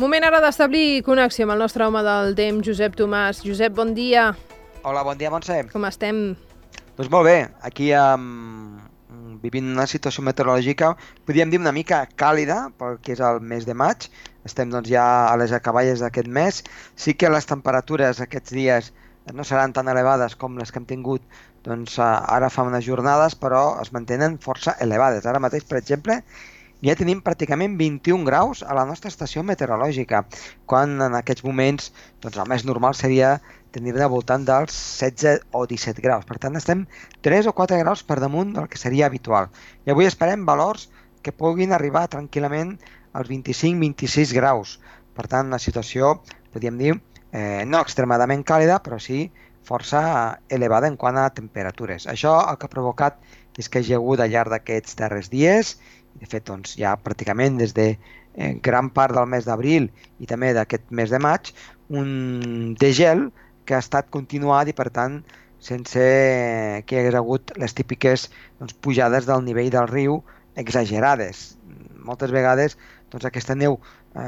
Moment ara d'establir connexió amb el nostre home del temps, Josep Tomàs. Josep, bon dia. Hola, bon dia, Montse. Com estem? Doncs molt bé, aquí vivint una situació meteorològica, podríem dir una mica càlida, pel que és el mes de maig. Estem doncs, ja a les acaballes d'aquest mes. Sí que les temperatures aquests dies no seran tan elevades com les que hem tingut ara fa unes jornades, però es mantenen força elevades. Ara mateix, per exemple, ja tenim pràcticament 21 graus a la nostra estació meteorològica, quan en aquests moments el més normal seria tenir-ne al voltant dels 16 o 17 graus. Per tant, estem 3 o 4 graus per damunt del que seria habitual. I avui esperem valors que puguin arribar tranquil·lament als 25-26 graus. Per tant, una situació, podríem dir, no extremadament càlida, però sí força elevada en quant a temperatures. Això el que ha provocat és que hi ha hagut al llarg d'aquests darrers dies, de fet, ja pràcticament des de gran part del mes d'abril i també d'aquest mes de maig, un degel que ha estat continuat i, per tant, sense que hi hagués hagut les típiques pujades del nivell del riu exagerades. Moltes vegades aquesta neu,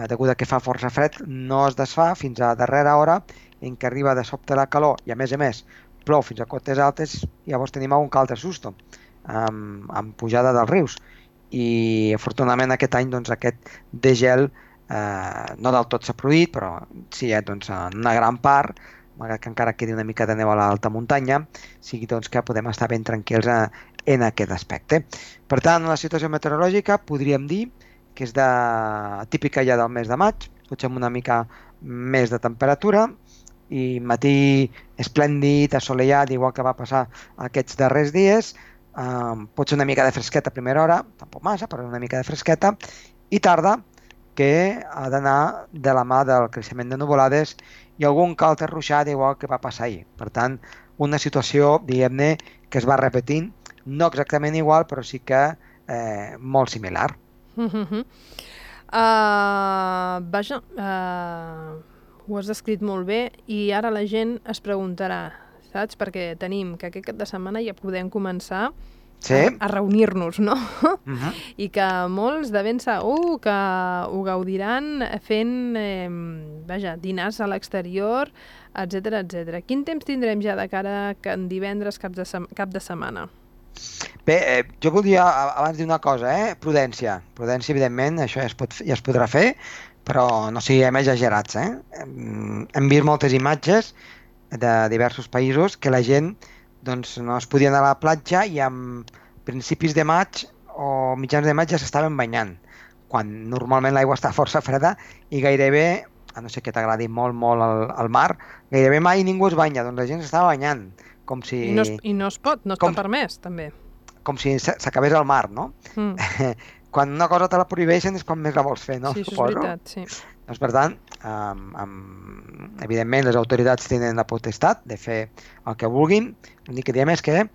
degut a que fa força fred, no es desfà fins a darrera hora en què arriba de sobte la calor i, a més, plou fins a cotes altes i llavors tenim algun altre susto amb pujada dels rius. I afortunadament aquest any aquest degel no del tot s'ha produït, però sí, en una gran part, malgrat que encara quedi una mica de neu a l'alta muntanya, sigui que podem estar ben tranquils en aquest aspecte. Per tant, la situació meteorològica podríem dir que és típica ja del mes de maig, potser amb una mica més de temperatura, i matí esplèndid, assolellat, igual que va passar aquests darrers dies. Pot ser una mica de fresqueta a primera hora, tampoc massa, però una mica de fresqueta, i tarda, que ha d'anar de la mà del creixement de nuvolades i algun altre ruixat igual que va passar ahir. Per tant, una situació, diguem-ne, que es va repetint, no exactament igual, però sí que molt similar. Vaja, ho has descrit molt bé i ara la gent es preguntarà, saps? Perquè tenim que aquest cap de setmana ja podem començar a reunir-nos, no? I que molts de ben segur que ho gaudiran fent dinars a l'exterior, etc. Quin temps tindrem ja de cara a divendres cap de setmana? Bé, jo voldria abans dir una cosa, prudència. Prudència, evidentment, això ja es podrà fer, però no siguem exagerats. Hem vist moltes imatges de diversos països que la gent no es podia anar a la platja i a principis de maig o mitjans de maig ja s'estaven banyant, quan normalment l'aigua està força freda i gairebé, a no ser que t'agradi molt el mar, gairebé mai ningú es banya, doncs la gent s'estava banyant. Com si... I no es pot, no està permès, també. Com si s'acabés el mar, no? Quan una cosa te la prohibeixen és quan més la vols fer, no? Sí, això és veritat, sí. Doncs, per tant, evidentment les autoritats tenen la potestat de fer el que vulguin. L'únic que diem és que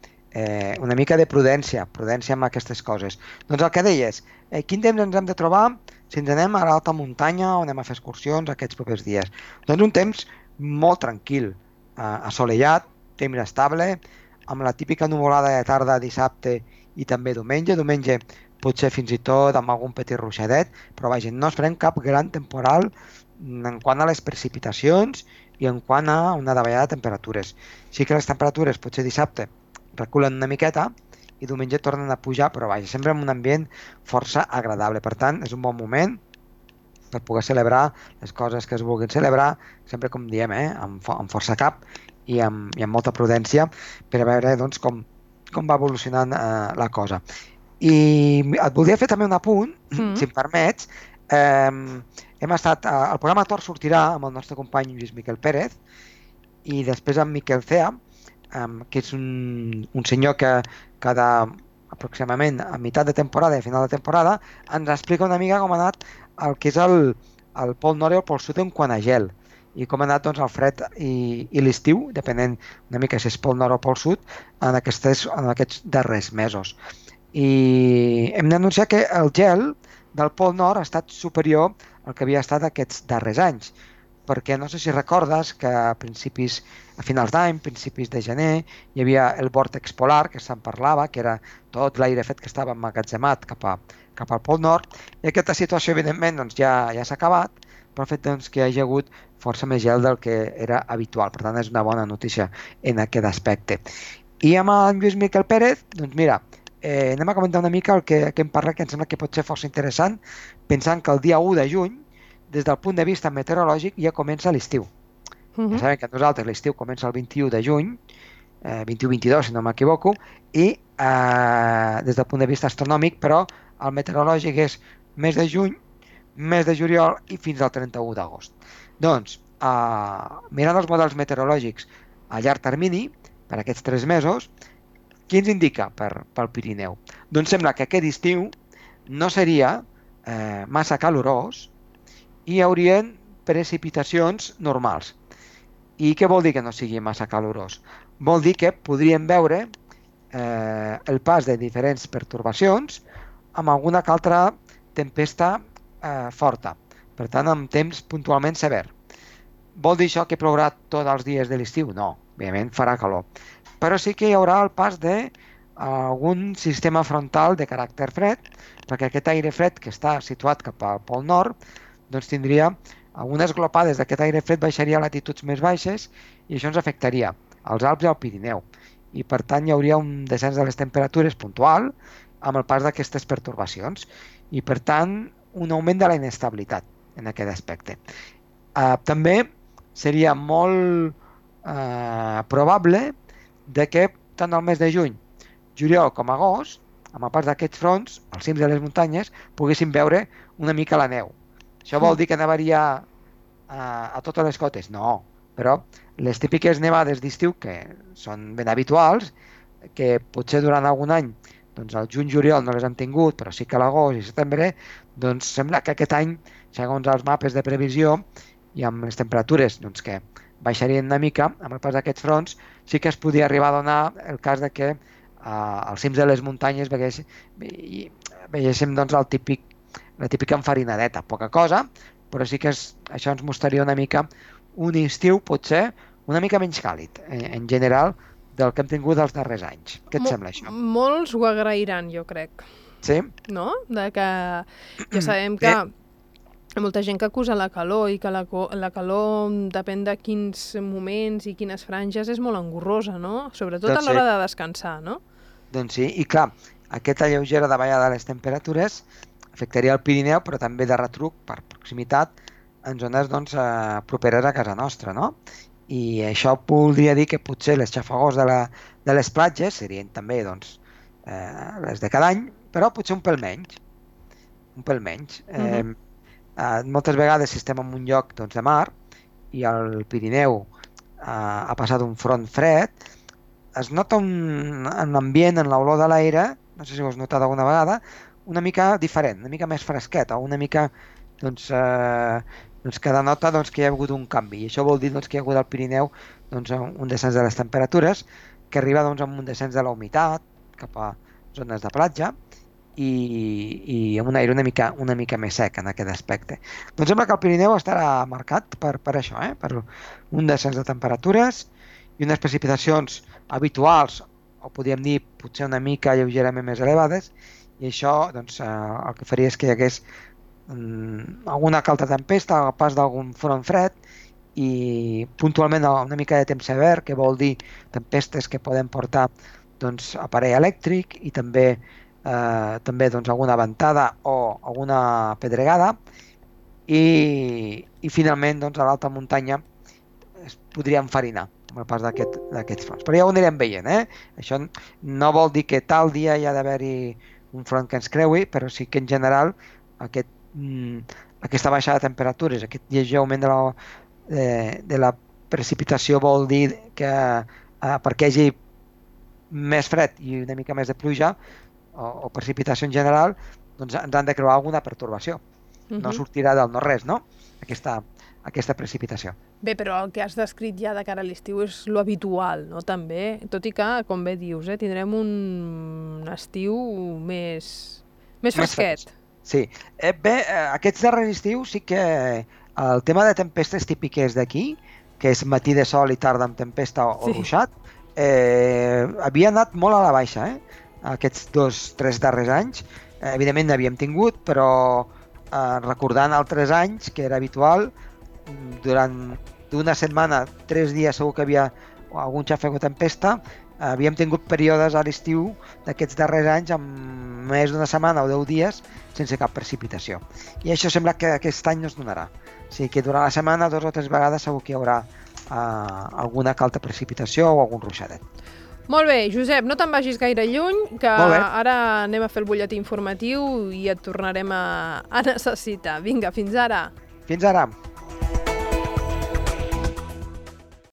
una mica de prudència amb aquestes coses. Doncs el que deies, quin temps ens hem de trobar si ens anem a l'alta muntanya o anem a fer excursions aquests propers dies? Doncs un temps molt tranquil, assolellat, temps estable, amb la típica nuvolada de tarda dissabte i també diumenge. Diumenge potser fins i tot amb algun petit ruixadet, però vaja, no esperem cap gran temporal en quant a les precipitacions i en quant a una davallada de temperatures. Sí que les temperatures potser dissabte reculen una miqueta i diumenge tornen a pujar, però vaja, sempre en un ambient força agradable. Per tant, és un bon moment per poder celebrar les coses que es vulguin celebrar, sempre com diem, amb força cap i amb molta prudència, per a veure com va evolucionant la cosa. I et voldria fer també un apunt, si em permets. Hem estat, el programa Tor sortirà amb el nostre company Lluís Miquel Pérez i després amb Miquel Cea, que és un senyor que cada aproximadament a meitat de temporada i a final de temporada ens explica una mica com ha anat el que és el Pol Nord i el Pol Sud en quant a gel i com ha anat el fred i l'estiu, depenent una mica si és Pol Nord o Pol Sud, en aquests darrers mesos. I hem d'anunciar que el gel del Pol Nord ha estat superior al que havia estat aquests darrers anys, perquè no sé si recordes que a finals d'any, principis de gener, hi havia el vòrtex polar, que se'n parlava, que era tot l'aire fet que estava emmagatzemat cap al Pol Nord, i aquesta situació, evidentment, ja s'ha acabat, pel fet doncs, que hi hagi hagut força més gel del que era habitual. Per tant, és una bona notícia en aquest aspecte. I amb en Lluís Miquel Pérez, doncs mira, anem a comentar una mica el que em parla, que em sembla que pot ser força interessant, pensant que el dia 1 de juny, des del punt de vista meteorològic, ja comença l'estiu. Ja sabem que nosaltres l'estiu comença el 21 de juny, 21-22, si no m'equivoco, i des del punt de vista astronòmic, però el meteorològic és mes de juny, mes de juliol i fins al 31 d'agost. Doncs, mirant els models meteorològics a llarg termini, per aquests 3 mesos, què ens indica pel Pirineu? Doncs sembla que aquest estiu no seria massa calorós i hi haurien precipitacions normals. I què vol dir que no sigui massa calorós? Vol dir que podríem veure el pas de diferents pertorbacions amb alguna altra tempesta forta, per tant amb temps puntualment sever. Vol dir això que plourà tots els dies de l'estiu? No, òbviament farà calor, però sí que hi haurà el pas d'algun sistema frontal de caràcter fred, perquè aquest aire fred que està situat cap al Pol Nord doncs tindria algunes glopades d'aquest aire fred, baixaria a latituds més baixes i això ens afectaria als Alps i al Pirineu, i per tant hi hauria un descens de les temperatures puntual amb el pas d'aquestes pertorbacions i per tant un augment de la inestabilitat en aquest aspecte. També seria molt probable de que tant el mes de juny, juliol com agost, amb el pas d'aquests fronts, als cims de les muntanyes, poguéssim veure una mica la neu. Això vol dir que nevaria a totes les cotes? No, però les típiques nevades d'estiu, que són ben habituals, que potser durant algun any doncs al juny-juliol no les han tingut, però sí que a l'agost i setembre, doncs sembla que aquest any, segons els mapes de previsió i amb les temperatures doncs, que baixarien una mica, amb el pas d'aquests fronts, sí que es podia arribar a donar el cas de que als cims de les muntanyes veiéssim doncs, la típica enfarinadeta, poca cosa, però sí que això ens mostraria una mica un estiu potser una mica menys càlid, en general, del que hem tingut els darrers anys. Què et sembla això? Molts ho agrairan, jo crec. Sí? No? De que ja sabem que hi ha molta gent que acusa la calor i que la calor, depèn de quins moments i quines franges, és molt engorrosa, no? Sobretot a l'hora de descansar, no? Doncs sí, i clar, aquesta lleugera davallada de les temperatures afectaria el Pirineu, però també de retruc, per proximitat, en zones doncs, properes a casa nostra, no? I això voldria dir que potser les xafogors de les platges serien també doncs, les de cada any, però potser un pèl menys. Un pèl menys. Moltes vegades si estem en un lloc doncs, de mar i el Pirineu ha passat un front fred, es nota en l'ambient, en l'olor de l'aire, no sé si ho has notat alguna vegada, una mica diferent, una mica més fresquet, o una mica doncs, que denota doncs, que hi ha hagut un canvi. I això vol dir doncs, que hi ha hagut al Pirineu doncs, un descens de les temperatures, que arriba doncs, amb un descens de la humitat cap a zones de platja i amb un aire una mica més sec en aquest aspecte. Doncs sembla que el Pirineu estarà marcat per això, per un descens de temperatures i unes precipitacions habituals, o podríem dir potser una mica lleugerament més elevades, i això doncs, el que faria és que hi hagués alguna altra tempesta, el pas d'algun front fred i puntualment una mica de temps sever, que vol dir tempestes que poden portar doncs, aparell elèctric i també doncs, alguna ventada o alguna pedregada i finalment doncs, a l'alta muntanya es podria enfarinar amb el pas d'aquests fronts. Però ja ho anirem veient. Això no vol dir que tal dia hi ha d'haver-hi un front que ens creui, però sí que en general aquesta baixada de temperatures, aquest lleuger augment de la precipitació vol dir que perquè hi hagi més fred i una mica més de pluja o precipitació en general, doncs ens han de creuar alguna pertorbació. No sortirà del no-res, no? Aquesta precipitació. Bé, però el que has descrit ja de cara a l'estiu és lo habitual, no? També, tot i que, com bé dius, tindrem un estiu més fresquet. Sí. Bé, aquests darrers estius sí que el tema de tempestes típiques d'aquí, que és matí de sol i tarda amb tempesta o ruixat, havia anat molt a la baixa, aquests 2-3 darrers anys. Evidentment n'havíem tingut, però recordant altres anys que era habitual, durant d'una setmana, 3 dies segur que havia algun xafec o tempesta. Havíem tingut períodes a l'estiu d'aquests darrers anys amb més d'una setmana o 10 dies sense cap precipitació. I això sembla que aquest any no es donarà. O sigui que durant la setmana 2 o 3 vegades segur que hi haurà alguna calta precipitació o algun ruixadet. Molt bé, Josep, no te'n vagis gaire lluny, que ara anem a fer el butlletí informatiu i et tornarem a necessitar. Vinga, fins ara. Fins ara.